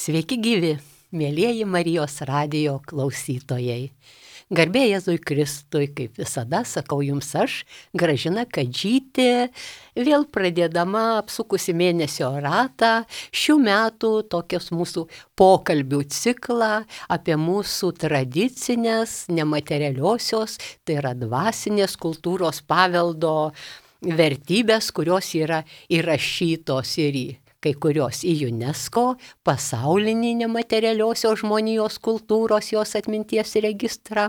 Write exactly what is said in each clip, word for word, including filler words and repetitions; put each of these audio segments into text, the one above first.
Sveiki gyvi, mėlieji Marijos radijo klausytojai. Garbė Jėzui Kristui, kaip visada sakau jums aš, Gražina Kadžytė, vėl pradėdama apsukusi mėnesio ratą, šių metų tokios mūsų pokalbių ciklą apie mūsų tradicinės, nematerialiosios, tai yra dvasinės kultūros paveldo vertybės, kurios yra įrašytos ir į kai kurios į UNESCO, pasaulinį nematerialiosios žmonijos kultūros, jos atminties registrą,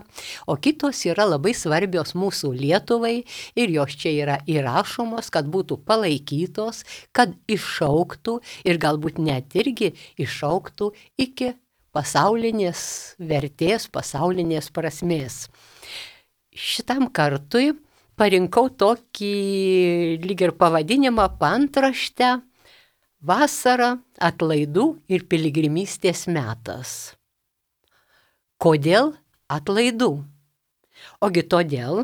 o kitos yra labai svarbios mūsų Lietuvai ir jos čia yra įrašomos, kad būtų palaikytos, kad išauktų ir galbūt net irgi išauktų iki pasaulinės vertės, pasaulinės prasmės. Šitam kartui parinkau tokį lyg ir pavadinimą, paantraštę: Vasara, atlaidų ir piligrimystės metas. Kodėl atlaidų? Ogi todėl,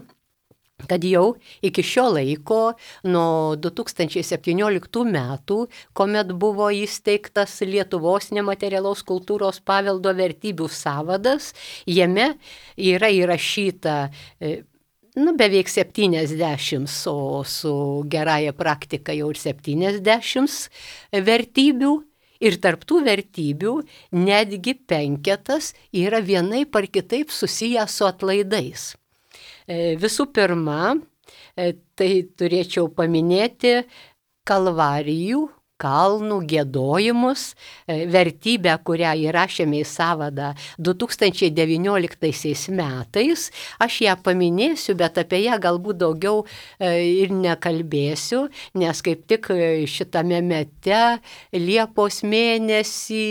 kad jau iki šio laiko, nuo du tūkstančiai septynioliktų metų, kuomet buvo įsteigtas Lietuvos nematerialaus kultūros paveldo vertybių sąvadas, jame yra įrašyta nu, beveik septyniasdešimt, o su gerąja praktika jau ir septyniasdešimt vertybių. Ir tarptų vertybių netgi penketas yra vienaip ar kitaip susiję su atlaidais. Visų pirma, tai turėčiau paminėti kalvarijų, kalnų giedojimus, vertybę, kurią įrašėme į sąvadą du tūkstančiai devynioliktaisiais metais. Aš ją paminėsiu, bet apie ją galbūt daugiau ir nekalbėsiu, nes kaip tik šitame mete Liepos mėnesį,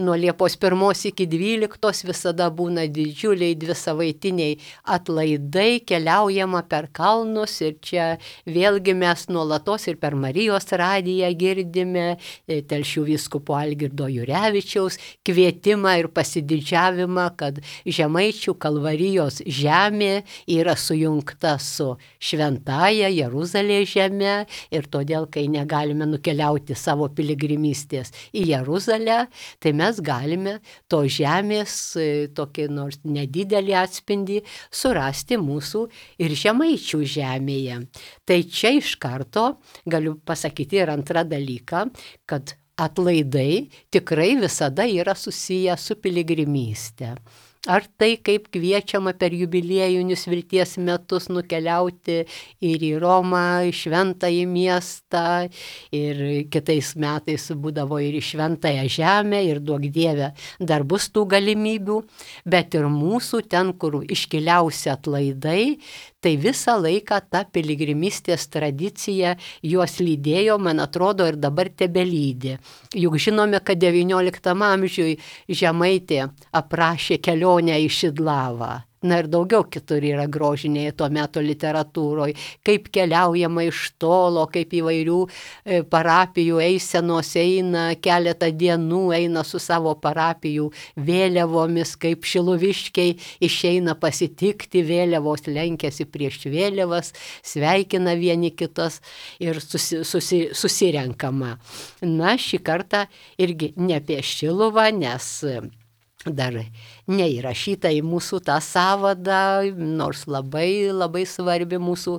nuo Liepos pirmos iki dvyliktos visada būna didžiuliai dvisavaitiniai atlaidai, keliaujama per kalnus ir čia vėlgi mes nuolatos ir per Marijos radiją girdime Telšių vyskupo Algirdo Jurevičiaus kvietimą ir pasididžiavimą, kad Žemaičių Kalvarijos žemė yra sujungta su šventąja Jeruzalės žeme ir todėl, kai negalime nukeliauti savo piligrimystės į Jeruzalę, tai mes galime to žemės tokį nors nedidelį atspindį surasti mūsų ir Žemaičių žemėje. Tai čia iš karto galiu pasakyti ir antrą dalyką, kad atlaidai tikrai visada yra susiję su piligrimyste. Ar tai kaip kviečiama per jubiliejinius vilties metus nukeliauti ir į Romą, į šventąjį miestą, ir kitais metais būdavo ir į šventąją žemę, ir duok Dieve dar bus tų galimybių, bet ir mūsų ten, kur iškiliausi atlaidai, tai visą laiką ta piligrimystės tradicija juos lydėjo, man atrodo, ir dabar tebelydi. Juk žinome, kad devynioliktam amžiui Žemaitė aprašė kelionę į Šidlavą. Na ir daugiau kitur yra grožinėje to meto literatūroje, kaip keliaujama iš tolo, kaip įvairių parapijų eisenos eina, keletą dienų eina su savo parapijų vėliavomis, kaip šiluviškiai išeina pasitikti, vėliavos lenkiasi prieš vėliavas, sveikina vieni kitas ir susi, susi, susirenkama. Na, šį kartą irgi ne apie Šiluvą, nes dar neįrašyta į mūsų tą sąvadą, nors labai, labai svarbi mūsų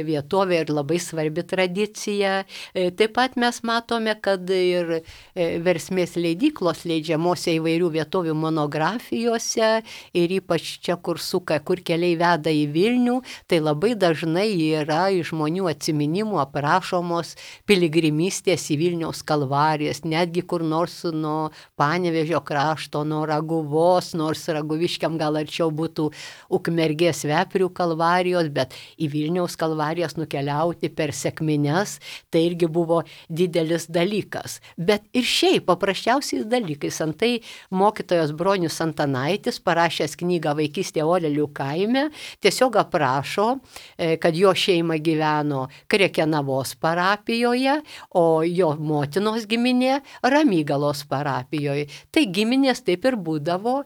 vietovė ir labai svarbi tradicija. Taip pat mes matome, kad ir Versmės leidyklos leidžiamose įvairių vietovių monografijose ir ypač čia, kur suka, kur keliai veda į Vilnių, tai labai dažnai yra iš žmonių atsiminimų aprašomos piligrimystės į Vilniaus kalvarijas, netgi kur nors nuo Panevėžio krašto, nuo Raguvos, nors Raguviškiam gal arčiau būtų Ukmergės Veprių kalvarijos, bet į Vilniaus kalvarijas nukeliauti per sekmines, tai irgi buvo didelis dalykas. Bet ir šiaip paprasčiausiais dalykais. Antai mokytojas Bronius Antanaitis, parašęs knygą Vaikystė Orelių kaime, tiesiog aprašo, kad jo šeima gyveno Krekenavos parapijoje, o jo motinos giminė Ramygalos parapijoje. Tai giminės taip ir būdavo,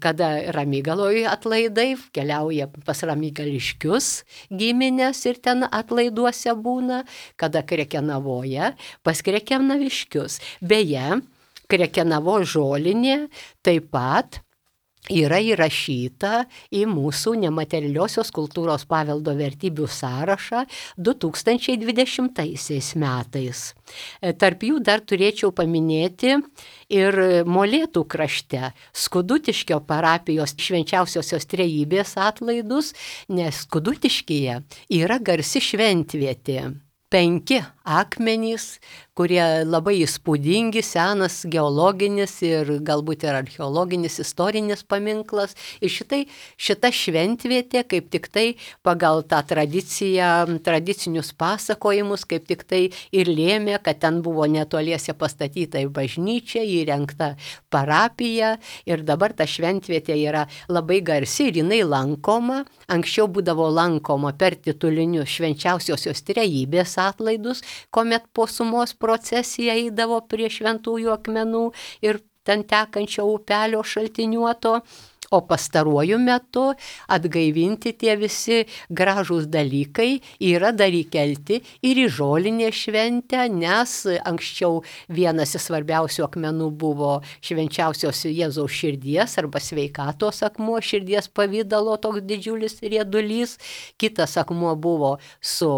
kada Ramygaloje atlaidai keliauja pas ramygališkius giminės ir ten atlaiduose būna, kada Krekenavoje pas krekenaviškius. Beje, Krekenavos žolinė taip pat yra įrašyta į mūsų nematerialiosios kultūros paveldo vertybių sąrašą du tūkstančiai dvidešimtaisiais metais. Tarp jų dar turėčiau paminėti ir Molėtų krašte Skudutiškio parapijos švenčiausiosios trejybės atlaidus, nes Skudutiškyje yra garsi šventvietė. Penki akmenys, kurie labai įspūdingi, senas geologinis ir galbūt ir archeologinis istorinis paminklas. Ir šitai, šita šventvietė kaip tik tai pagal tą tradiciją, tradicinius pasakojimus, kaip tik tai ir lėmė, kad ten buvo netoliese pastatyta į bažnyčią, įrengta parapija ir dabar ta šventvietė yra labai garsi ir jinai lankoma. Anksčiau būdavo lankoma per titulinius švenčiausiosios trejybės atlaidus, kuomet po sumos procesija eidavo prie šventųjų akmenų ir ten tekančio upelio šaltiniuoto, o pastaruoju metu atgaivinti tie visi gražūs dalykai yra dar įkelti ir į žolinę šventę, nes anksčiau vienas iš svarbiausių akmenų buvo švenčiausios Jėzaus širdies arba sveikatos akmuo, širdies pavydalo toks didžiulis riedulys, kitas akmuo buvo su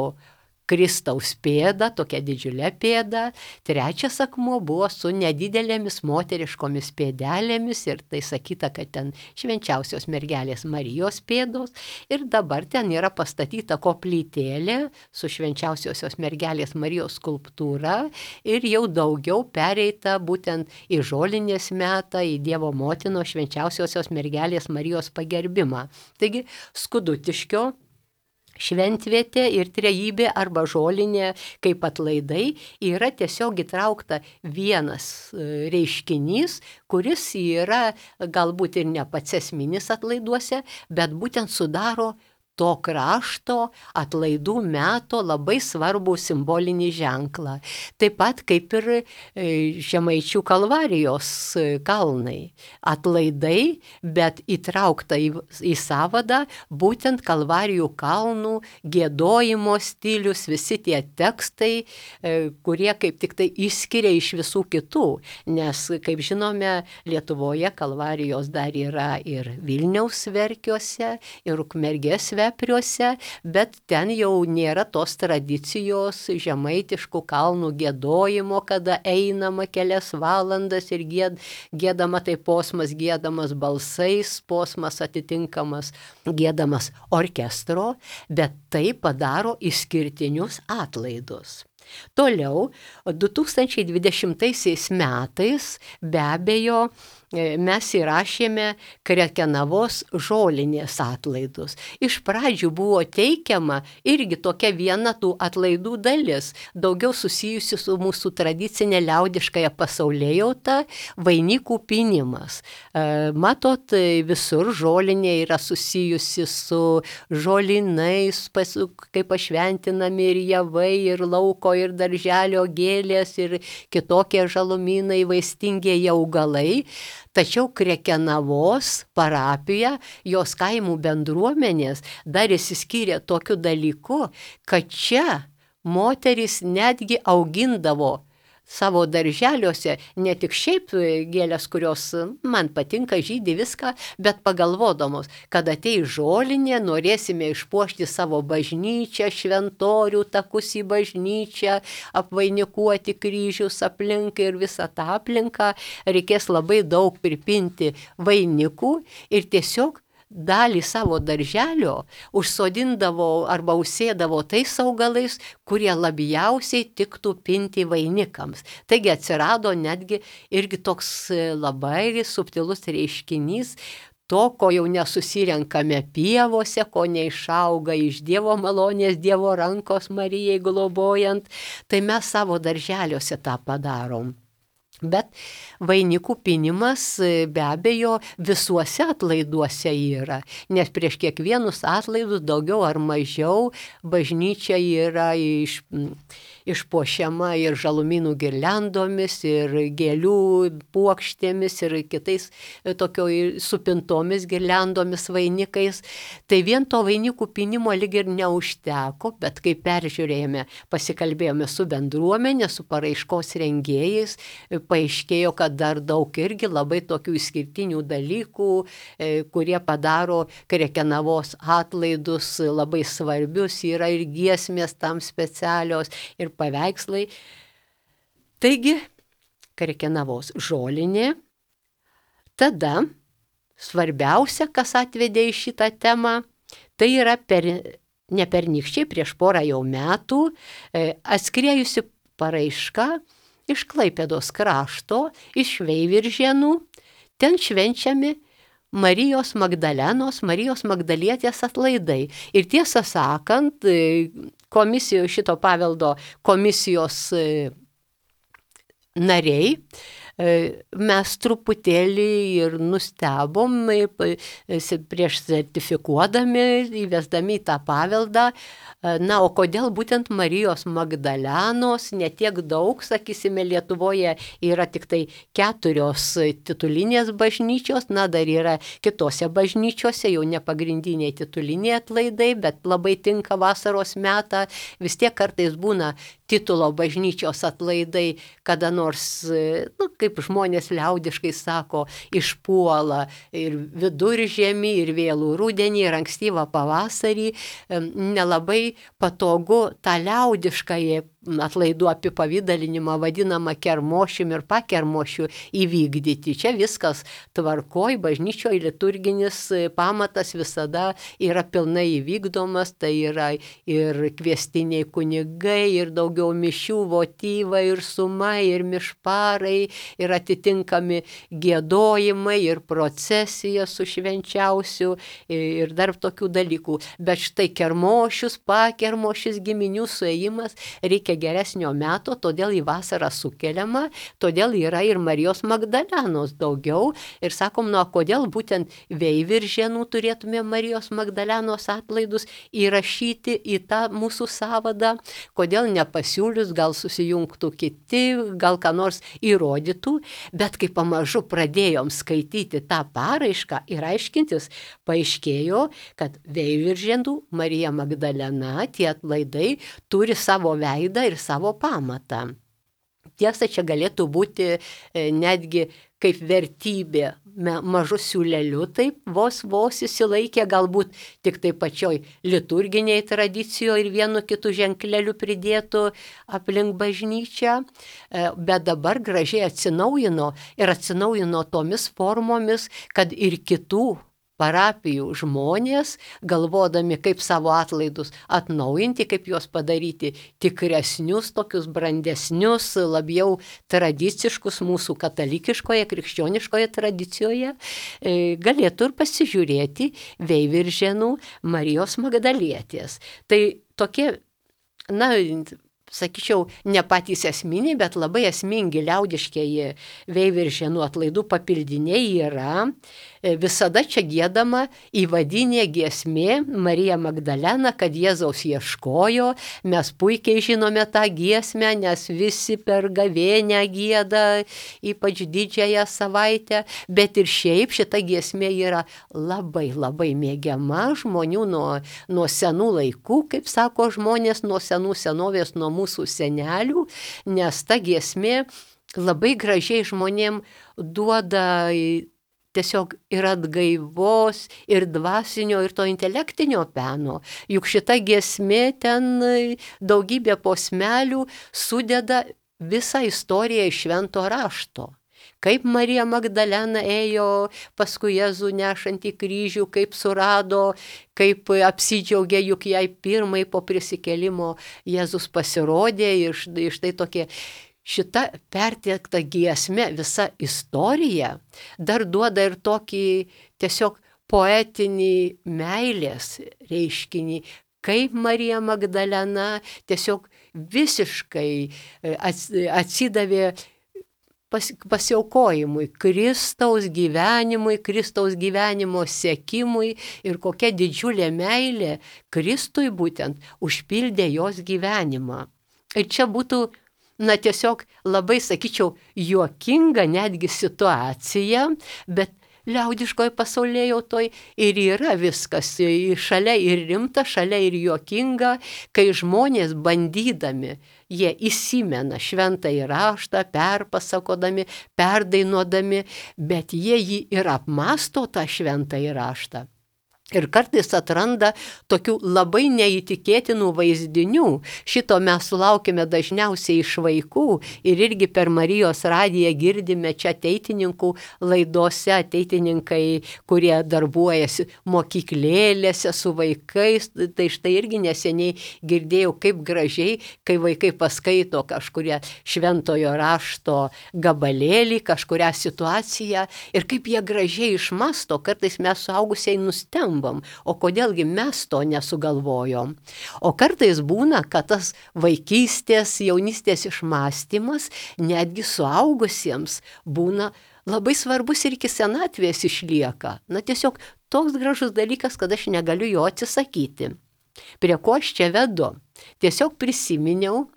Kristaus pėda, tokia didžiulė pėda, trečias akmuo buvo su nedidelėmis moteriškomis pėdelėmis ir tai sakyta, kad ten švenčiausios mergelės Marijos pėdos ir dabar ten yra pastatyta koplytėlė su švenčiausiosios mergelės Marijos skulptūra ir jau daugiau pereita būtent į žolinės metą, į Dievo motinos švenčiausiosios mergelės Marijos pagerbimą. Taigi Skudutiškio šventvietė ir trejybė arba žolinė kaip atlaidai yra tiesiog įtraukta vienas reiškinys, kuris yra galbūt ir ne pats esminis atlaiduose, bet būtent sudaro to krašto atlaidų meto labai svarbų simbolinį ženklą. Taip pat kaip ir Žemaičių Kalvarijos kalnai. Atlaidai, bet įtraukta į, į sąvadą būtent Kalvarijų kalnų giedojimo stilius, visi tie tekstai, kurie kaip tik tai išskiria iš visų kitų. Nes, kaip žinome, Lietuvoje Kalvarijos dar yra ir Vilniaus Verkiuose, ir Ukmergės Vepriuose, bet ten jau nėra tos tradicijos žemaitiškų kalnų giedojimo, kada einama kelias valandas ir gied, giedama tai posmas giedamas balsais, posmas atitinkamas giedamas orkestro, bet tai padaro išskirtinius atlaidus. Toliau, du tūkstančiai dvidešimtaisiais metais be abejo mes įrašėme Krekenavos žolinės atlaidus. Iš pradžių buvo teikiama irgi tokia viena tų atlaidų dalis, daugiau susijusi su mūsų tradicinė liaudiškąja pasaulėjauta, vainikų pynimas. Matot, visur žolinė yra susijusi su žolinais, kaip pašventinami ir javai, ir lauko, ir darželio gėlės, ir kitokie žalumynai, vaistingieji augalai. Tačiau Krekenavos parapija, jos kaimų bendruomenės dar išsiskyrė tokiu dalyku, kad čia moterys netgi augindavo savo darželiuose ne tik šiaip gėlės, kurios man patinka, žydi viską, bet pagalvodamos, kad ateis žolinė, norėsime išpuošti savo bažnyčią, šventorių, takus į bažnyčią, apvainikuoti kryžius aplink ir visą tą aplinką, reikės labai daug pripinti vainikų ir tiesiog dalį savo darželio užsodindavo arba užsėdavo tais augalais, kurie labiausiai tiktų pinti vainikams. Taigi atsirado netgi irgi toks labai subtilus reiškinys, to, ko jau nesusirenkame pievose, ko neišauga iš Dievo malonės, Dievo rankos Marijai globojant, tai mes savo darželiuose tą padarom. Bet vainikų pynimas be abejo visuose atlaiduose yra, nes prieš kiekvienus atlaidus daugiau ar mažiau bažnyčia yra iš, išpuošiama ir žalumynų girliandomis, ir gėlių puokštėmis, ir kitais tokio supintomis girliandomis, vainikais. Tai vien to vainikų pinimo lyg ir neužteko, bet kai peržiūrėjome, pasikalbėjome su bendruomenė, su paraiškos rengėjais, paaiškėjo, kad dar daug irgi labai tokių išskirtinių dalykų, kurie padaro Krekenavos atlaidus labai svarbius, yra ir giesmės tam specialios, ir paveikslai. Taigi, Krekenavos žolinė. Tada svarbiausia, kas atvedė į šitą temą, tai yra per, ne pernykščiai, prieš porą jau metų atskriejusi paraiška iš Klaipėdos krašto, iš Veiviržėnų. Ten švenčiami Marijos Magdalenos, Marijos Magdalietės atlaidai. Ir tiesą sakant, komisijos, šito paveldo komisijos nariai, mes truputėlį ir nustebom prieš sertifikuodami, įvesdami tą paveldą. Na, o kodėl būtent Marijos Magdalenos, ne tiek daug, sakysime, Lietuvoje yra tik tai keturios titulinės bažnyčios, na, dar yra kitose bažnyčiose, jau ne pagrindiniai tituliniai atlaidai, bet labai tinka vasaros metą, vis tiek kartais būna titulo bažnyčios atlaidai, kada nors, nu, kaip žmonės liaudiškai sako, išpuola ir viduržiemį, ir vėlų rudenį, ir ankstyvą pavasarį, nelabai patogu tą liaudiškąją atlaidų apipavydalinimą vadinamą kermošium ir pakermošiu įvykdyti. Čia viskas tvarkoj, bažnyčioje liturginis pamatas visada yra pilnai įvykdomas, tai yra ir kviestiniai kunigai, ir daugiau mišių, votyvai, ir suma, ir mišparai, ir atitinkami giedojimai, ir procesija su švenčiausiu, ir dar tokių dalykų. Bet štai kermošius, pakermošius, giminių suėjimas reikia geresnio meto, todėl į vasarą sukeliama, todėl yra ir Marijos Magdalenos daugiau. Ir sakom, nu, kodėl būtent Veiviržėnų turėtume Marijos Magdalenos atlaidus įrašyti į tą mūsų sąvadą, kodėl nepasiūlius, gal susijungtų kiti, gal ką nors įrodytų, bet kai pamažu pradėjom skaityti tą paraišką ir aiškintis, paaiškėjo, kad Veiviržėnų Marija Magdalena, tie atlaidai turi savo veidą ir savo pamatą. Tiesa, čia galėtų būti netgi kaip vertybė mažu siūleliu, taip vos vos įsilaikė, galbūt tik tai pačioj liturginiai tradicijoje ir vienu kitu ženkleliu pridėtų aplink bažnyčią, bet dabar gražiai atsinaujino ir atsinaujino tomis formomis, kad ir kitų parapijų žmonės, galvodami, kaip savo atlaidus atnaujinti, kaip juos padaryti tikresnius, tokius brandesnius, labiau tradiciškus mūsų katalikiškoje, krikščioniškoje tradicijoje, galėtų ir pasižiūrėti Veiviržėnų Marijos Magdalietės. Tai tokie, na, sakyčiau, ne patys esminiai, bet labai esmingi liaudiškieji Veiviržėnų atlaidų papildiniai yra. Visada čia giedama įvadinė giesmė Marija Magdalena, kad Jėzaus ieškojo. Mes puikiai žinome tą giesmę, nes visi per gavėnią gieda, ypač didžiąją savaitę, bet ir šiaip šita giesmė yra labai labai mėgiama žmonių nuo, nuo senų laikų, kaip sako žmonės, nuo senų senovės, nuo mūsų senelių, nes ta giesmė labai gražiai žmonėm duoda tiesiog ir atgaivos, ir dvasinio, ir to intelektinio peno. Juk šita giesmė ten daugybė posmelių sudeda visą istoriją iš švento rašto. Kaip Marija Magdalena ėjo paskui Jėzų nešant į kryžių, kaip surado, kaip apsidžiaugė, juk jai pirmai po prisikėlimo Jėzus pasirodė ir štai tokie. Šita perteikta giesmė, visa istorija, dar duoda ir tokį tiesiog poetinį meilės reiškinį, kaip Marija Magdalena tiesiog visiškai atsidavė pas, pasiaukojimui, Kristaus gyvenimui, Kristaus gyvenimo sekimui ir kokia didžiulė meilė Kristui būtent užpildė jos gyvenimą. Ir čia būtų, na tiesiog labai, sakyčiau, juokinga netgi situacija, bet liaudiškoj pasaulėjautoj ir yra viskas, šalia ir rimta, šalia ir juokinga, kai žmonės bandydami, jie įsimena šventąjį raštą, perpasakodami, perdainuodami, bet jie jį ir apmąsto tą šventąjį raštą. Ir kartais atranda tokių labai neįtikėtinų vaizdinių. Šito mes sulaukime dažniausiai iš vaikų ir irgi per Marijos radiją girdime čia ateitininkų laidose, ateitininkai, kurie darbuojasi mokyklėlėse su vaikais. Tai štai irgi neseniai girdėjau, kaip gražiai, kai vaikai paskaito kažkuria šventojo rašto gabalėlį, kažkurią situaciją ir kaip jie gražiai išmasto, kartais mes suaugusiai nustembam. O kodėlgi mes to nesugalvojom? O kartais būna, kad tas vaikystės, jaunystės išmąstymas netgi suaugusiems būna labai svarbus ir iki senatvės išlieka. Na tiesiog toks gražus dalykas, kad aš negaliu jo atsisakyti. Prie ko aš čia vedu? Tiesiog prisiminiau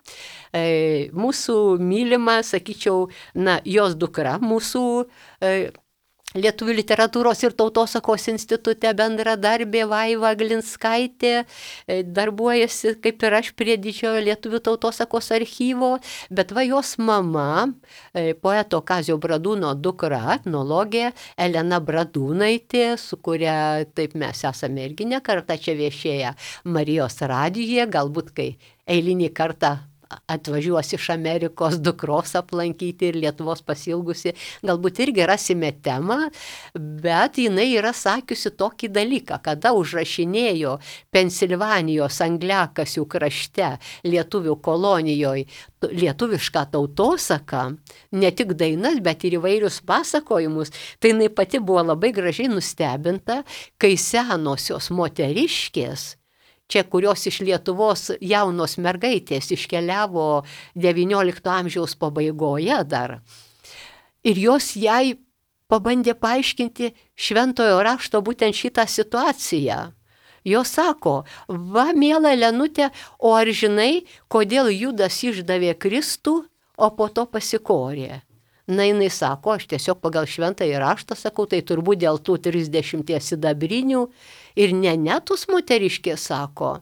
e, mūsų mylimą, sakyčiau, na, jos dukra, mūsų e, Lietuvių literatūros ir tautosakos institute bendradarbė Vaiva Glinskaitė, darbuojasi kaip ir aš prie didžiojo Lietuvių tautosakos archyvo, bet va jos mama, poeto Kazio Bradūno dukra, etnologė Elena Bradūnaitė, su kuria taip mes esame irgi ne kartą čia viešėję Marijos radijuje, galbūt kai eilinį kartą atvažiuos iš Amerikos dukros aplankyti ir Lietuvos pasilgusi, galbūt irgi rasime temą, bet jinai yra sakiusi tokį dalyką, kada užrašinėjo Pensilvanijos Angliakasių krašte lietuvių kolonijoje lietuvišką tautosaką, ne tik dainas, bet ir įvairius pasakojimus, tai jinai pati buvo labai gražiai nustebinta, kai senosios moteriškės, čia kurios iš Lietuvos jaunos mergaitės iškeliavo devyniolikto amžiaus pabaigoje dar. Ir jos jai pabandė paaiškinti šventojo rašto būtent šitą situaciją. Jos sako, va, miela Lenutė, o ar žinai, kodėl Judas išdavė Kristų, o po to pasikorė? Na, jinai sako, aš tiesiog pagal šventąjį raštą sakau, tai turbūt dėl tų trisdešimties sidabrinių. Ir ne netus moteriškė sako,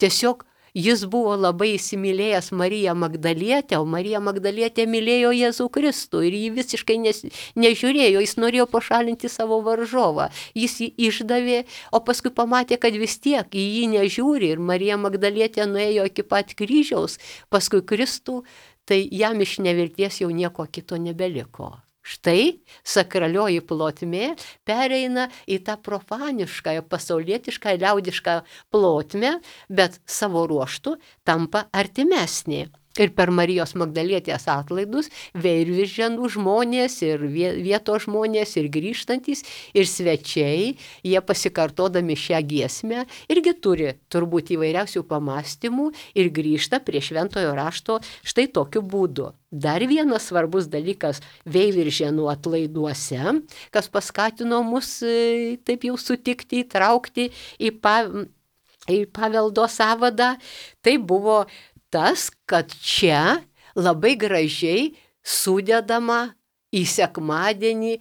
tiesiog jis buvo labai įsimylėjęs Mariją Magdalietę, o Marija Magdalietė mylėjo Jėzų Kristų ir jį visiškai nes, nežiūrėjo, jis norėjo pašalinti savo varžovą. Jis jį išdavė, o paskui pamatė, kad vis tiek į jį nežiūri ir Marija Magdalietė nuėjo iki pat kryžiaus, paskui Kristų, tai jam iš nevilties jau nieko kito nebeliko. Štai sakralioji plotmė pereina į tą profanišką, pasaulietišką, liaudišką plotmę, bet savo ruoštų tampa artimesnė. Ir per Marijos Magdalietės atlaidus Veiviržėnų žmonės ir vietos žmonės ir grįžtantys ir svečiai, jie pasikartodami šią giesmę irgi turi turbūt įvairiausių pamastymų ir grįžta prie šventojo rašto štai tokiu būdu. Dar vienas svarbus dalykas Veiviržėnų atlaiduose, kas paskatino mus taip jau sutikti, įtraukti į, pa, į paveldo sąvadą, tai buvo tas, kad čia labai gražiai sudedama į sekmadienį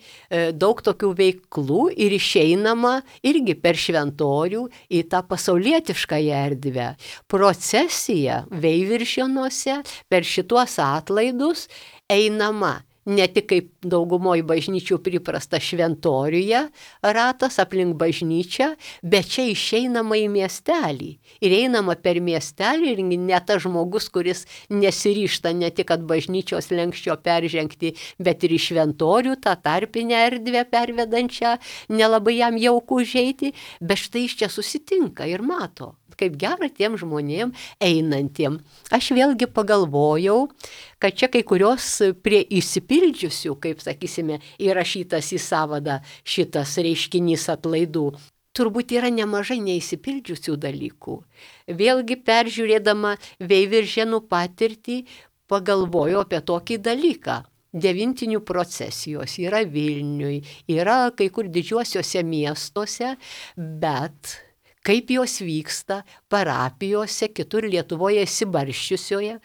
daug tokių veiklų ir išeinama irgi per šventorių į tą pasaulietiškąją erdvę. Procesija Veiviržėnuose per šituos atlaidus einama ne tik kaip daugumoj bažnyčių priprasta šventoriuje ratas aplink bažnyčią, bet čia išeinama į miestelį. Ir einama per miestelį ir ne tas žmogus, kuris nesiryšta ne tik at bažnyčios lenkščio peržengti, bet ir į šventorių, tą tarpinę erdvę pervedančią, nelabai jam jauku užeiti, bet štai iš čia susitinka ir mato, kaip gera tiem žmonėm einantiem. Aš vėlgi pagalvojau, kad čia kai kurios prie įsipildžiusių, kaip sakysime, įrašytas į sąvadą šitas reiškinys atlaidų, turbūt yra nemažai neįsipildžiusių dalykų. Vėlgi peržiūrėdama Veiviržėnų patirtį, pagalvojau apie tokį dalyką. Devintinių procesijos yra Vilniui, yra kai kur didžiuosiuose miestuose, bet kaip jos vyksta parapijose, kitur Lietuvoje įsibarščiusioje,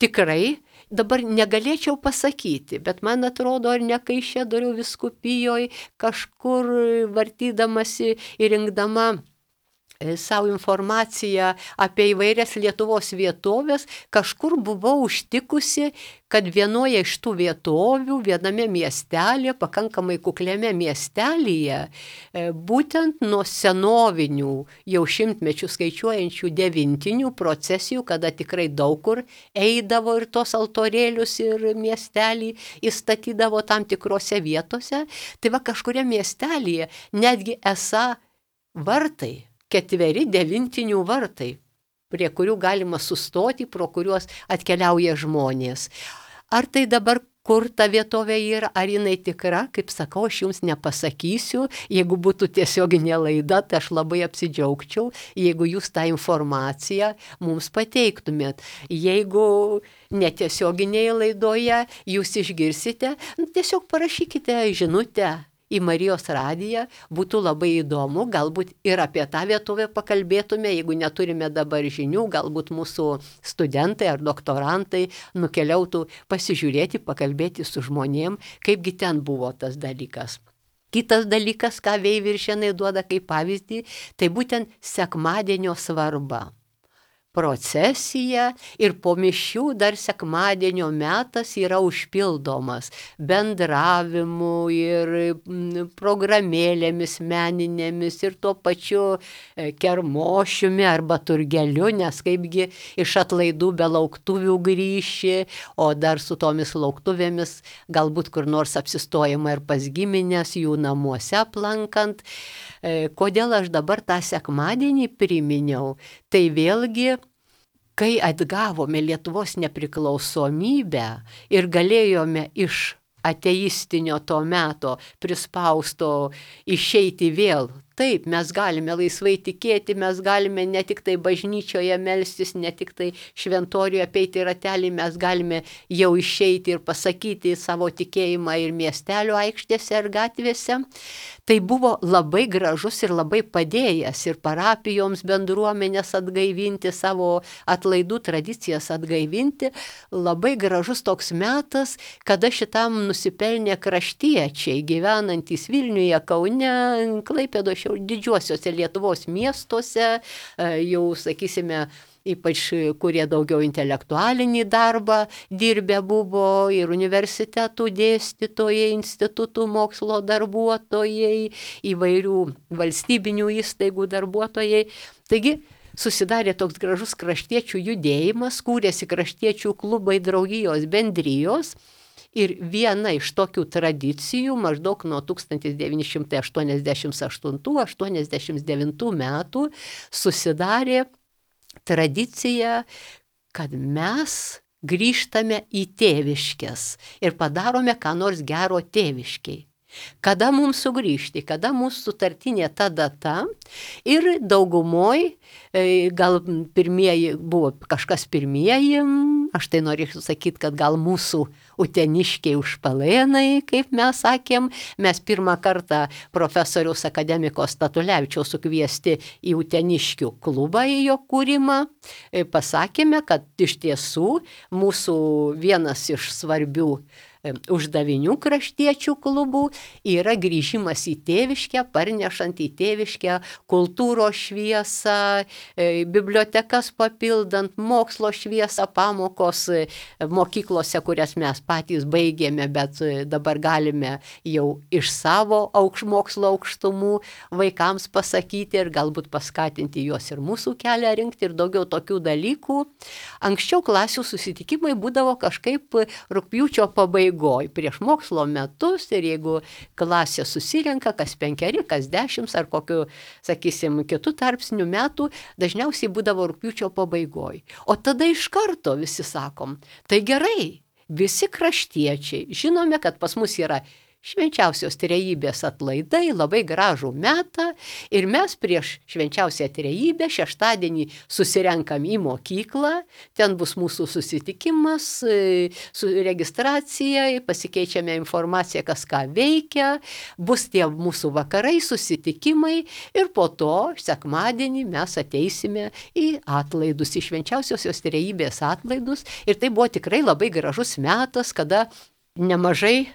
tikrai dabar negalėčiau pasakyti, bet man atrodo, ar ne Kaišiadorių vyskupijoje kažkur vartydamasi ir rinkdama savo informaciją apie įvairias Lietuvos vietovės, kažkur buvau užtikusi, kad vienoje iš tų vietovių, viename miestelėje, pakankamai kukliame miestelėje, būtent nuo senovinių, jau šimtmečių skaičiuojančių devintinių procesijų, kada tikrai daug kur eidavo ir tos altorėlius ir miestelį įstatydavo tam tikrose vietose, tai va kažkuria miestelėje netgi esą vartai, ketveri devintinių vartai, prie kurių galima sustoti, pro kuriuos atkeliauja žmonės. Ar tai dabar kur ta vietovė yra, ar jinai tikra, kaip sakau, aš jums nepasakysiu, jeigu būtų tiesioginė laida, tai aš labai apsidžiaugčiau, jeigu jūs tą informaciją mums pateiktumėt. Jeigu netiesioginėje laidoje jūs išgirsite, tiesiog parašykite žinutę į Marijos radiją, būtų labai įdomu, galbūt ir apie tą vietovę pakalbėtume, jeigu neturime dabar žinių, galbūt mūsų studentai ar doktorantai nukeliautų pasižiūrėti, pakalbėti su žmonėm, kaipgi ten buvo tas dalykas. Kitas dalykas, ką Veiviršėnai duoda kaip pavyzdį, tai būtent sekmadienio svarba. Procesija ir po mišių dar sekmadienio metas yra užpildomas bendravimu ir programėlėmis meninėmis ir tuo pačiu kermošiumi arba turgeliu, nes kaipgi iš atlaidų be lauktuvių grįši, o dar su tomis lauktuvėmis galbūt kur nors apsistojama ir pas giminės jų namuose aplankant. Kodėl aš dabar tą sekmadienį priminiau? Tai vėlgi, kai atgavome Lietuvos nepriklausomybę ir galėjome iš ateistinio to meto prispausto išeiti vėl. Taip, mes galime laisvai tikėti, mes galime ne tik tai bažnyčioje melstis, ne tik tai šventoriuje apeiti ratelį, mes galime jau išeiti ir pasakyti savo tikėjimą ir miestelio aikštėse ir gatvėse. Tai buvo labai gražus ir labai padėjęs ir parapijoms bendruomenės atgaivinti, savo atlaidų tradicijas atgaivinti. Labai gražus toks metas, kada šitam nusipelnė kraštiečiai, gyvenantys Vilniuje, Kaune, Klaipėdoje, didžiuosiuose Lietuvos miestuose, jau, sakysime, ypač kurie daugiau intelektualinį darbą dirbę buvo ir universitetų dėstytojai, institutų mokslo darbuotojai, įvairių valstybinių įstaigų darbuotojai. Taigi, susidarė toks gražus kraštiečių judėjimas, kūrėsi kraštiečių klubai, draugijos, bendrijos. Ir viena iš tokių tradicijų maždaug nuo tūkstantis devyni šimtai aštuoniasdešimt aštuntų aštuoniasdešimt devintų metų susidarė tradicija, kad mes grįžtame į tėviškes ir padarome ką nors gero tėviškiai. Kada mums sugrįžti, kada mūsų sutartinė ta data ir daugumoj, gal pirmieji buvo kažkas pirmieji, aš tai norėčiau sakyti, kad gal mūsų uteniškiai užpalėnai, kaip mes sakėm, mes pirmą kartą profesoriaus akademiko Statulevičiaus sukviesti į uteniškių klubą į jo kūrimą, pasakėme, kad iš tiesų mūsų vienas iš svarbių uždavinių kraštiečių klubų yra grįžimas į tėviškę, parnešant į tėviškę kultūros šviesą, bibliotekas papildant, mokslo šviesą, pamokos mokyklose, kurias mes patys baigėme, bet dabar galime jau iš savo aukš, mokslo aukštumų vaikams pasakyti ir galbūt paskatinti juos ir mūsų kelią rinkti ir daugiau tokių dalykų. Anksčiau klasių susitikimai būdavo kažkaip rugpjūčio pabaigoje. Prieš mokslo metus ir jeigu klasė susirenka kas penkeri, kas dešimt ar kokiu, sakysim, kitų tarpsnių metų, dažniausiai būdavo rugpjūčio pabaigoje. O tada iš karto visi sakom, tai gerai, visi kraštiečiai, žinome, kad pas mus yra švenčiausios trejybės atlaidai, labai gražų metą ir mes prieš švenčiausią trejybę šeštadienį susirenkam į mokyklą, ten bus mūsų susitikimas, su registracija, pasikeičiame informaciją, kas ką veikia, bus tie mūsų vakarai, susitikimai ir po to sekmadienį mes ateisime į atlaidus, į švenčiausiosios trejybės atlaidus ir tai buvo tikrai labai gražus metas, kada nemažai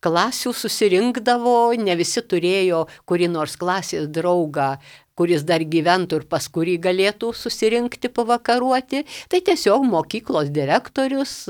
klasių susirinkdavo, ne visi turėjo kurį nors klasės draugą, kuris dar gyventų ir pas kurį galėtų susirinkti pavakaruoti, tai tiesiog mokyklos direktorius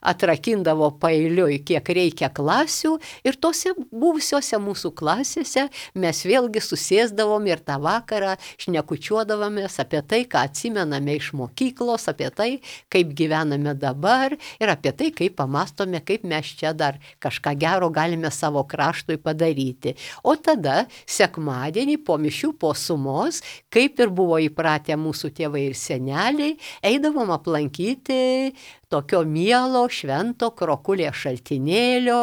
atrakindavo paeiliui, kiek reikia klasių ir tose buvusiose mūsų klasėse mes vėlgi susėsdavom ir tą vakarą šnekučiuodavomės apie tai, ką atsimename iš mokyklos, apie tai, kaip gyvename dabar ir apie tai, kaip pamastome, kaip mes čia dar kažką gero galime savo kraštui padaryti. O tada sekmadienį po mišių, po sumos, kaip ir buvo įpratę mūsų tėvai ir seneliai, eidavom aplankyti tokio mielo švento Krokulės šaltinėlio,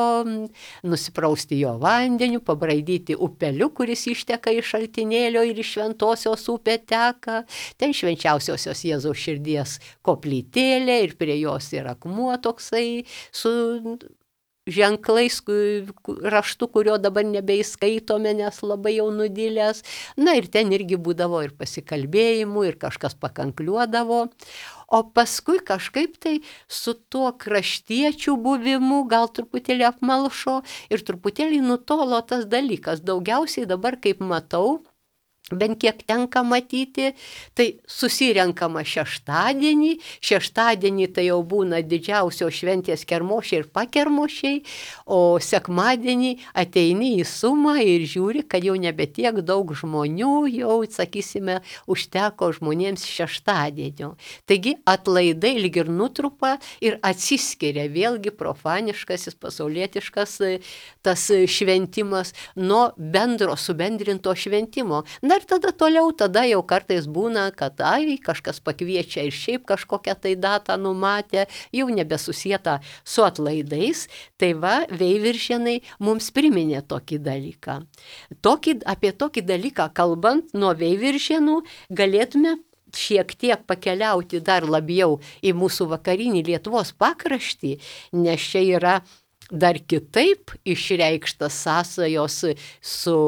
nusiprausti jo vandeniu, pabraidyti upeliu, kuris išteka iš šaltinėlio ir iš Šventosios upė teka. Ten švenčiausiosios Jėzaus širdies koplytėlė ir prie jos yra akmuo toksai su ženklais raštu, kurio dabar nebeįskaitome, nes labai jau nudilęs. Na ir ten irgi būdavo ir pasikalbėjimų, ir kažkas pakankliuodavo. O paskui kažkaip tai su tuo kraštiečių buvimu gal truputėlį apmalšo ir truputėlį nutolo tas dalykas. Daugiausiai dabar, kaip matau, bent kiek tenka matyti, tai susirenkama šeštadienį, šeštadienį tai jau būna didžiausios šventės kermošiai ir pakermošiai, o sekmadienį ateini į sumą ir žiūri, kad jau nebe tiek daug žmonių, jau, sakysime, užteko žmonėms šeštadienio. Taigi atlaidai lyg ir nutrupa ir atsiskiria vėlgi profaniškasis, pasaulietiškas tas šventimas nuo bendro subendrinto šventimo. Na ir tada toliau, tada jau kartais būna, kad ai, kažkas pakviečia ir šiaip kažkokią tai datą numatę, jau nebesusieta su atlaidais. Tai va, Veiviržėnai mums priminė tokį dalyką. Tokį, apie tokį dalyką kalbant, nuo Veiviržėnų galėtume šiek tiek pakeliauti dar labiau į mūsų vakarinį Lietuvos pakraštį, nes čia yra dar kitaip išreikštas sąsajos su,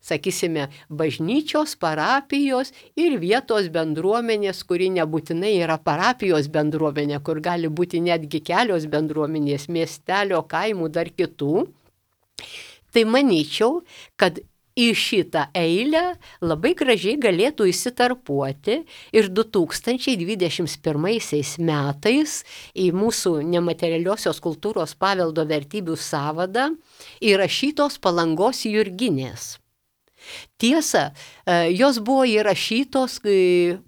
sakysime, bažnyčios, parapijos ir vietos bendruomenės, kuri nebūtinai yra parapijos bendruomenė, kur gali būti netgi kelios bendruomenės, miestelio, kaimų, dar kitų. Tai manyčiau, kad į šitą eilę labai gražiai galėtų įsitarpuoti ir du tūkstančiai dvidešimt pirmaisiais metais į mūsų nematerialiosios kultūros paveldo vertybių sąvadą įrašytos Palangos Jurginės. Tiesa, jos buvo įrašytos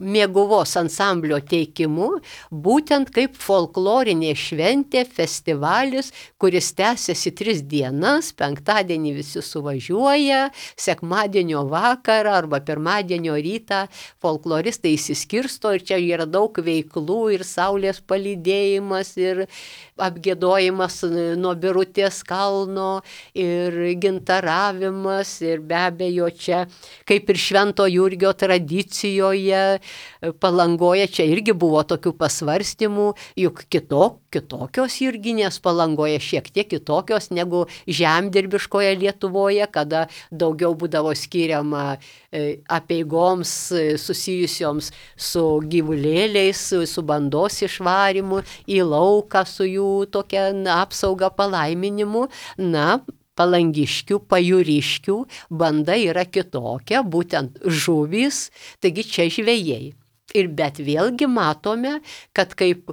Mėguvos ansamblio teikimu, būtent kaip folklorinė šventė, festivalis, kuris tęsiasi tris dienas, penktadienį visi suvažiuoja, sekmadienio vakarą arba pirmadienio rytą folkloristai įsiskirsto ir čia yra daug veiklų ir saulės palydėjimas ir apgiedojimas nuo Birutės kalno ir gintaravimas ir be abejo čia, kaip ir Švento Jurgio tradicijoje, Palangoje čia irgi buvo tokių pasvarstymų, juk kito, kitokios Jurginės Palangoje, šiek tiek kitokios negu žemdirbiškoje Lietuvoje, kada daugiau būdavo skiriama apeigoms susijusioms su gyvulėliais, su, su bandos išvarimu į lauką, su jų tokia apsauga palaiminimu. Na, palangiškių, pajūriškių banda yra kitokia, būtent žuvys, taigi čia žvejai. Ir bet vėlgi matome, kad kaip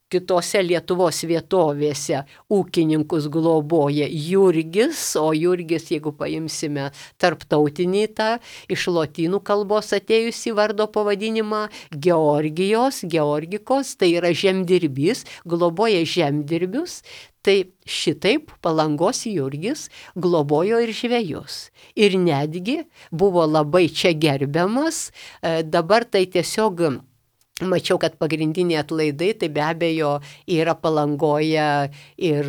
kitose Lietuvos vietovėse ūkininkus globoja Jurgis, o Jurgis, jeigu paimsime tarptautinį tą iš lotynų kalbos atėjusį vardo pavadinimą, Georgijos, Georgikos, tai yra žemdirbys, globoja žemdirbius. Tai šitaip Palangos Jurgis globojo ir žvejus. Ir netgi buvo labai čia gerbiamas, dabar tai tiesiog Mačiau, kad pagrindiniai atlaidai, tai be abejo yra Palangoje ir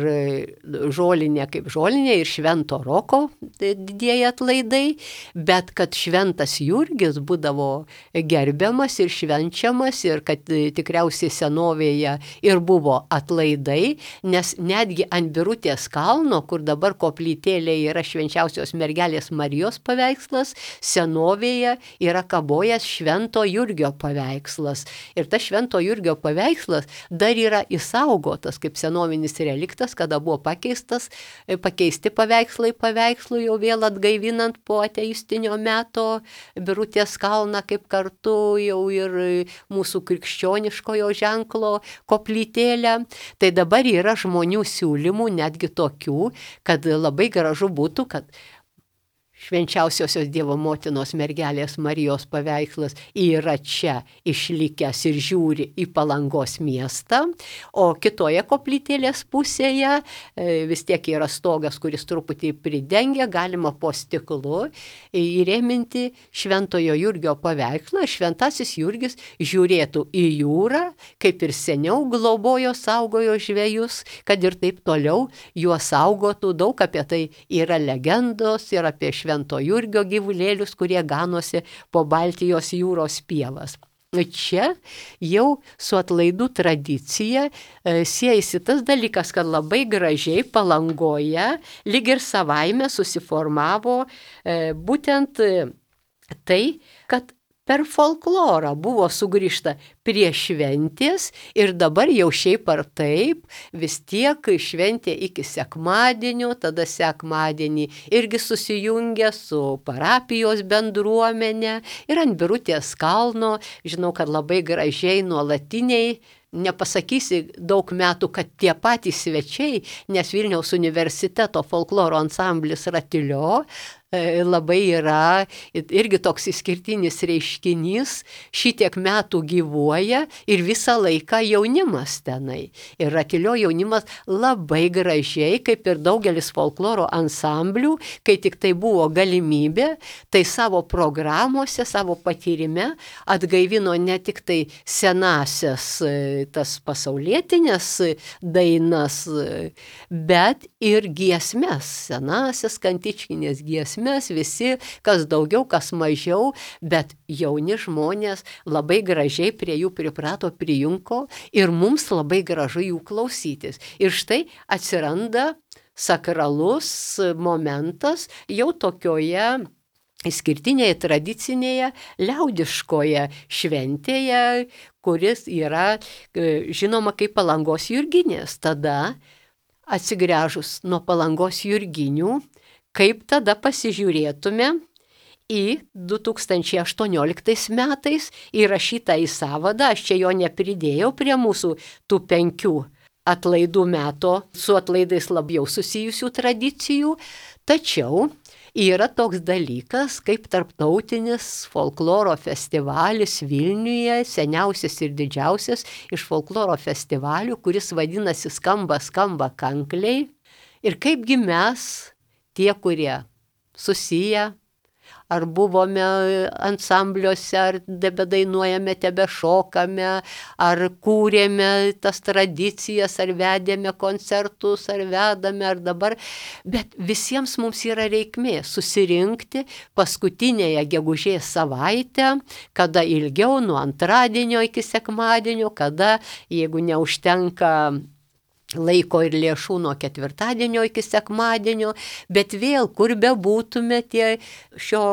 žolinė kaip žolinė, ir Švento Roko didieji atlaidai, bet kad Šventas Jurgis būdavo gerbiamas ir švenčiamas, ir kad tikriausiai senovėje ir buvo atlaidai, nes netgi ant Birutės kalno, kur dabar koplytėlė yra Švenčiausios mergelės Marijos paveikslas, senovėje yra kabojęs Švento Jurgio paveikslas. Ir tas Švento Jurgio paveikslas dar yra išsaugotas kaip senovinis reliktas, kada buvo pakeistas, pakeisti paveikslai paveikslų, jau vėl atgaivinant po ateistinio meto Birutės kalną kaip kartu jau ir mūsų krikščioniškojo ženklo koplytėlę. Tai dabar yra žmonių siūlymų, netgi tokių, kad labai gražu būtų, kad Švenčiausiosios Dievo motinos mergelės Marijos paveikslas yra čia išlikęs ir žiūri į Palangos miestą, o kitoje koplytėlės pusėje vis tiek yra stogas, kuris truputį pridengia, galima po stiklu įrėminti Šventojo Jurgio paveikslą. Šventasis Jurgis žiūrėtų į jūrą, kaip ir seniau globojo, saugojo žvejus, kad ir taip toliau juos saugotų. Daug apie tai yra legendos ir apie Švento Jurgio gyvulėlius, kurie ganosi po Baltijos jūros pievas. Čia jau su atlaidų tradicija e, siejasi tas dalykas, kad labai gražiai Palangoje lyg ir savaime susiformavo e, būtent e, tai, kad per folklorą buvo sugrįžta prie šventės ir dabar jau šiaip ar taip vis tiek šventė iki sekmadienio, tada sekmadienį irgi susijungia su parapijos bendruomenė ir ant Birutės kalno, žinau, kad labai gražiai nuolatiniai, nepasakysi daug metų, kad tie patys svečiai, nes Vilniaus universiteto folkloro ansamblis Ratilio labai yra irgi toks išskirtinis reiškinys, šitiek metų gyvuoja ir visą laiką jaunimas tenai. Ir Ratilio jaunimas labai gražiai, kaip ir daugelis folkloro ansamblių, kai tik tai buvo galimybė, tai savo programuose, savo patyrime atgaivino ne tik tai senasias tas pasaulietinės dainas, bet ir giesmes, senasias kantičkinės giesmes. Mes visi, kas daugiau, kas mažiau, bet jauni žmonės labai gražiai prie jų priprato, prijunko ir mums labai gražu jų klausytis. Ir štai atsiranda sakralus momentas jau tokioje išskirtinėje, tradicinėje, liaudiškoje šventėje, kuris yra žinoma kaip Palangos jurginės. Tada atsigręžus nuo Palangos jurginių, kaip tada pasižiūrėtume į du tūkstančiai aštuonioliktais metais įrašytą į sąvadą, aš čia jo nepridėjau prie mūsų tų penkių atlaidų meto, su atlaidais labiau susijusių tradicijų, tačiau yra toks dalykas kaip tarptautinis folkloro festivalis Vilniuje, seniausias ir didžiausias iš folkloro festivalių, kuris vadinasi Skamba, skamba kankliai. Ir kaipgi mes, tie, kurie susiję, ar buvome ansambliuose, ar tebedainuojame, tebešokame, ar kūrėme tas tradicijas, ar vedėme koncertus, ar vedame, ar dabar. Bet visiems mums yra reikmė susirinkti paskutinėje gegužės savaitę, kada ilgiau, nuo antradienio iki sekmadienio, kada, jeigu neužtenka laiko ir lėšų, nuo ketvirtadienio iki sekmadienio, bet vėl, kur bebūtume tie šio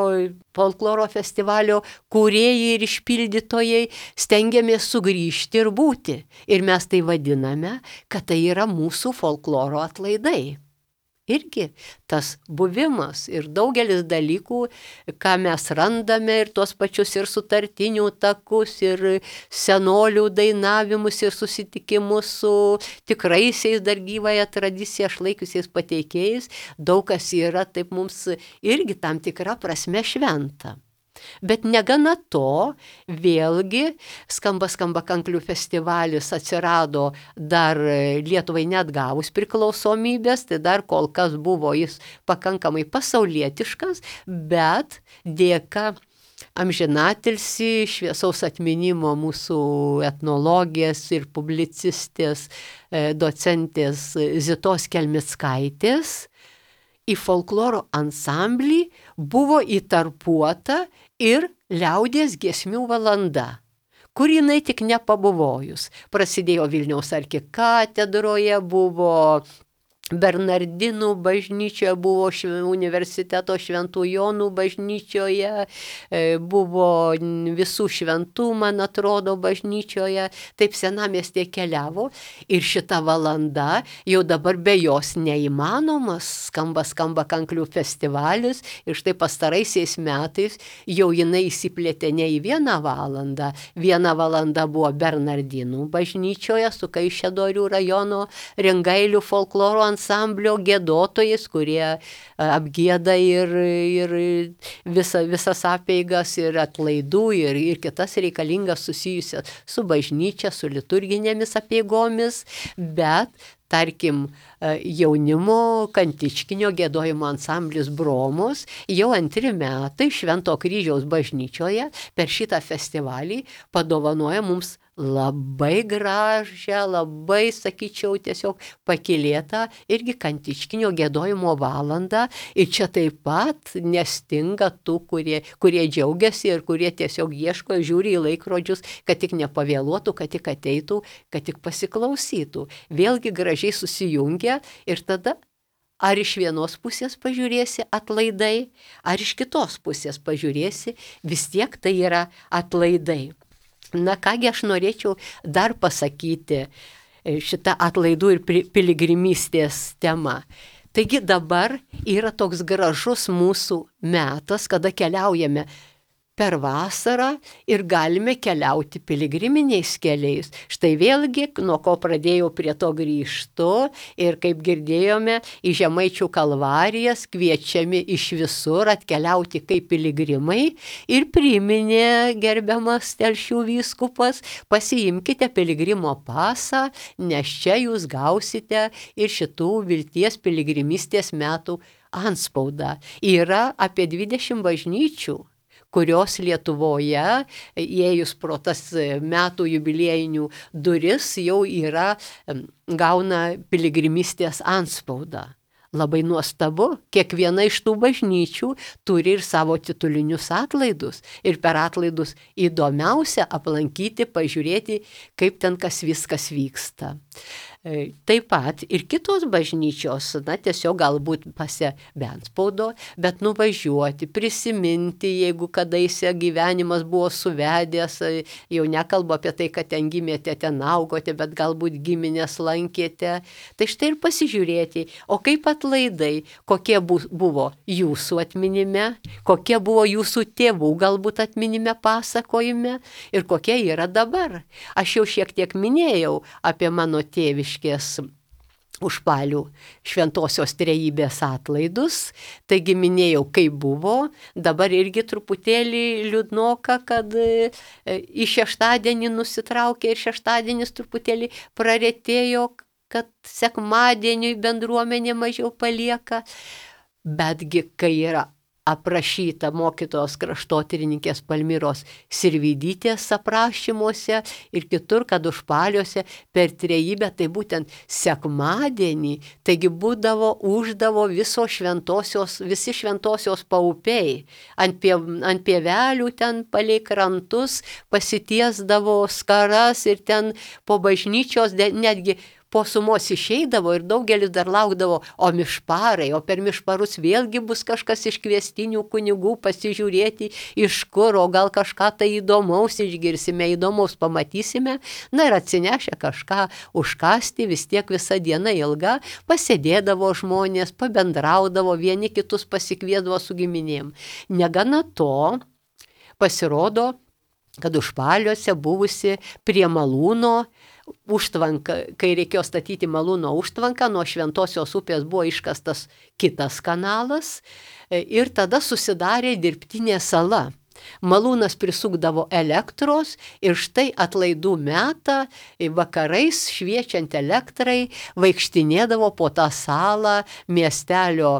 folkloro festivalio kūrėjai ir išpildytojai, stengiamės sugrįžti ir būti. Ir mes tai vadiname, kad tai yra mūsų folkloro atlaidai. Irgi tas buvimas ir daugelis dalykų, ką mes randame, ir tuos pačius ir sutartinių takus, ir senolių dainavimus, ir susitikimus su tikraisiais dar gyvąją tradiciją išlaikiusiais pateikėjais, daug kas yra taip mums irgi tam tikra prasme šventa. Bet negana to, vėlgi Skamba, skamba kanklių festivalis atsirado dar Lietuvai neatgavus priklausomybės, tai dar kol kas buvo jis pakankamai pasaulietiškas, bet dėka amžinatilsį, šviesaus atminimo mūsų etnologės ir publicistės, docentės Zitos Kelmickaitės, į folkloro ansamblį buvo įtarpuota ir liaudies giesmių valanda, kur jinai tik nepabuvojus. Prasidėjo Vilniaus arkikatedroje, buvo Bernardinų bažnyčioje, buvo universiteto Šventų Jonų bažnyčioje, buvo Visų šventų, man atrodo, bažnyčioje, taip senamiestė keliavo ir šita valanda jau dabar be jos neįmanomas, skamba skamba kanklių festivalis ir štai pastaraisiais metais jau jinai įsiplėtė ne į vieną valandą, viena valanda buvo Bernardinų bažnyčioje su Kaišiadorių rajono Rengailių folkloro ansamblio giedotojais, kurie apgieda ir, ir visa, visas apeigas ir atlaidų ir, ir kitas reikalingas susijusias su bažnyčia, su liturginėmis apeigomis, bet tarkim, jaunimo kantičkinio giedojimo ansamblis Bromos jau antri metai Švento kryžiaus bažnyčioje per šitą festivalį padovanoja mums labai gražią, labai, sakyčiau, tiesiog pakylėtą irgi kantičkinio giedojimo valandą. Ir čia taip pat nestinga tų, kurie, kurie džiaugiasi ir kurie tiesiog ieško, žiūri į laikrodžius, kad tik nepavėluotų, kad tik ateitų, kad tik pasiklausytų. Vėlgi gražiai susijungia ir tada ar iš vienos pusės pažiūrėsi atlaidai, ar iš kitos pusės pažiūrėsi, vis tiek tai yra atlaidai. Na kągi aš norėčiau dar pasakyti šitą atlaidų ir piligrimystės temą. Taigi dabar yra toks gražus mūsų metas, kada keliaujame per vasarą ir galime keliauti piligriminiais keliais. Štai vėlgi, nuo ko pradėjau prie to grįžtu ir kaip girdėjome, į Žemaičių kalvarijas kviečiami iš visur atkeliauti kaip piligrimai ir priminė gerbiamas Telšių vyskupas, pasiimkite piligrimo pasą, nes čia jūs gausite ir šitų vilties piligrimystės metų antspaudą. Yra apie dvidešimt bažnyčių, kurios Lietuvoje, įėjus pro tas metų jubiliejinių duris, jau yra, gauna piligrimystės antspaudą. Labai nuostabu, kiekviena iš tų bažnyčių turi ir savo titulinius atlaidus. Ir per atlaidus įdomiausia aplankyti, pažiūrėti, kaip ten kas viskas vyksta. Taip pat ir kitos bažnyčios, na tiesiog galbūt pasia be antspaudo, bet nuvažiuoti, prisiminti, jeigu kadaise gyvenimas buvo suvedęs, jau nekalbu apie tai, kad ten gimėte, ten augote, bet galbūt giminės lankėte. Tai štai ir pasižiūrėti, o kaip atlaidai, kokie buvo jūsų atminime, kokie buvo jūsų tėvų galbūt atminime pasakojime ir kokie yra dabar. Aš jau šiek tiek minėjau apie mano tėvišką Užpalių šventosios trejybės atlaidus, taigi minėjau, kaip buvo, dabar irgi truputėlį liūdnoka, kad į šeštadienį nusitraukė ir šeštadienis truputėlį praretėjo, kad sekmadieniui bendruomenė mažiau palieka, betgi kai yra aprašyta mokytojos kraštotyrininkės Palmiros Sirvydytės aprašymuose ir kitur, kad Užpaliuose per trejybę, tai būtent sekmadienį, taigi būdavo, uždavo viso šventosios, visi šventosios paupiai, ant, pie, ant pievelių ten palei krantus pasitiesdavo skaras ir ten po bažnyčios netgi po sumos išeidavo ir daugelis dar laukdavo, o mišparai, o per mišparus vėlgi bus kažkas iš kviestinių kunigų pasižiūrėti, iš kur, o gal kažką tai įdomaus išgirsime, įdomaus pamatysime, na ir atsinešę kažką užkasti, vis tiek visa diena ilga, pasėdėdavo žmonės, pabendraudavo, vieni kitus pasikviesdavo su giminėm. Negana to, pasirodo, kad Užpaliuose buvusi prie Malūno užtvanka, kai reikėjo statyti Malūno užtvanką, nuo Šventosios upės buvo iškastas kitas kanalas ir tada susidarė dirbtinė sala. Malūnas prisukdavo elektros ir štai atlaidų metą vakarais šviečiant elektrai vaikštinėdavo po tą salą miestelio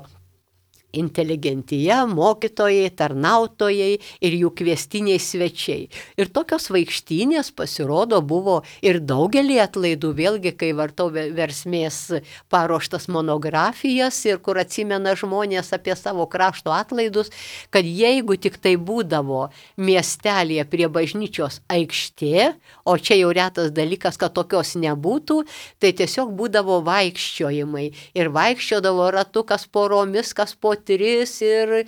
inteligentija, mokytojai, tarnautojai ir jų kviestiniai svečiai. Ir tokios vaikštynės pasirodo buvo ir daugelį atlaidų, vėlgi, kai vartau versmės paruoštas monografijas ir kur atsimena žmonės apie savo krašto atlaidus, kad jeigu tik tai būdavo miestelėje prie bažnyčios aikštė, o čia jau retas dalykas, kad tokios nebūtų, tai tiesiog būdavo vaikščiojimai. Ir vaikščiodavo ratu, kas poromis, kas po tris ir e,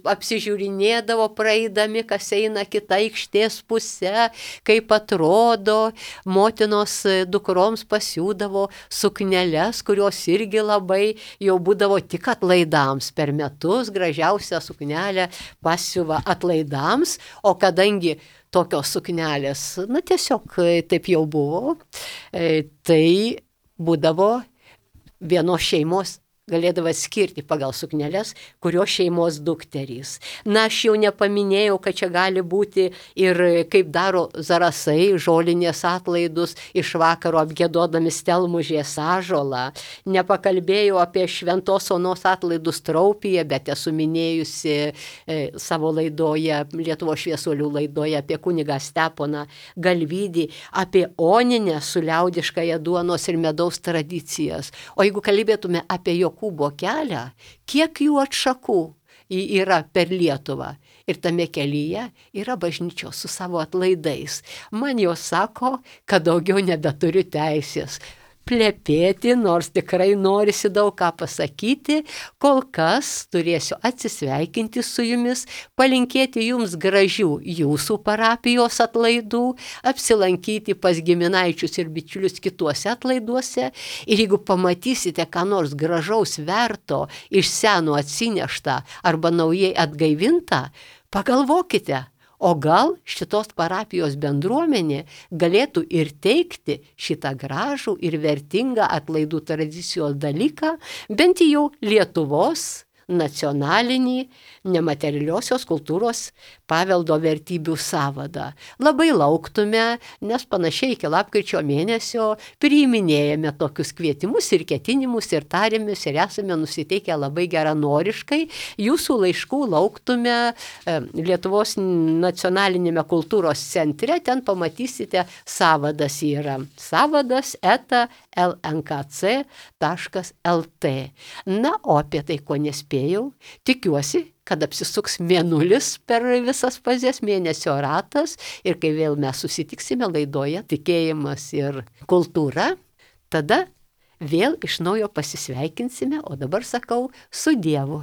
apsižiūrinėdavo praeidami, kas eina kita aikštės pusė, kaip atrodo, motinos dukroms pasiūdavo sukneles, kurios irgi labai jau būdavo tik atlaidams per metus, gražiausią suknelę pasiuva atlaidams, o kadangi tokios suknelės, na tiesiog taip jau buvo, tai būdavo vienos šeimos galėdavo skirti pagal sukneles, kurios šeimos dukterys. Na, aš jau nepaminėjau, kad čia gali būti ir kaip daro zarasai, žolinės atlaidus iš vakaro apgiedodami stelmužės ąžuolą. Nepakalbėjau apie Šventos Onos atlaidus Traupyje, bet esu minėjusi e, savo laidoje, Lietuvos šviesuolių laidoje apie kunigą Steponą Galvydį, apie Oninę su liaudiškąja duonos ir medaus tradicijas. O jeigu kalbėtume apie jo Jokūbo kelią, kiek jų atšakų yra per Lietuvą. Ir tame kelyje yra bažnyčios su savo atlaidais. Man jos sako, kad daugiau nebeturiu teisės plepėti, nors tikrai norisi daug ką pasakyti. Kol kas turėsiu atsisveikinti su jumis, palinkėti jums gražių jūsų parapijos atlaidų, apsilankyti pas giminaičius ir bičiulius kituose atlaiduose. Ir jeigu pamatysite, ką nors gražaus verto iš seno atsineštą arba naujai atgaivintą, pagalvokite. O gal šitos parapijos bendruomenė galėtų ir teikti šitą gražų ir vertingą atlaidų tradicijos dalyką, bent jau Lietuvos nacionalinį nematerialiosios kultūros paveldo vertybių sąvadą. Labai lauktume, nes panašiai iki lapkričio mėnesio priiminėjame tokius kvietimus ir ketinimus ir tarėmės ir esame nusiteikę labai geranoriškai. Jūsų laiškų lauktume Lietuvos nacionalinėme kultūros centre, ten pamatysite sąvadas yra. Sąvadas eta el en ka ce taškas el te. Na, o apie tai, ko nespėjau, tikiuosi, kad apsisuks mėnulis per visas fazes, mėnesio ratas, ir kai vėl mes susitiksime laidoje Tikėjimas ir kultūra, tada vėl iš naujo pasisveikinsime, o dabar sakau su Dievu.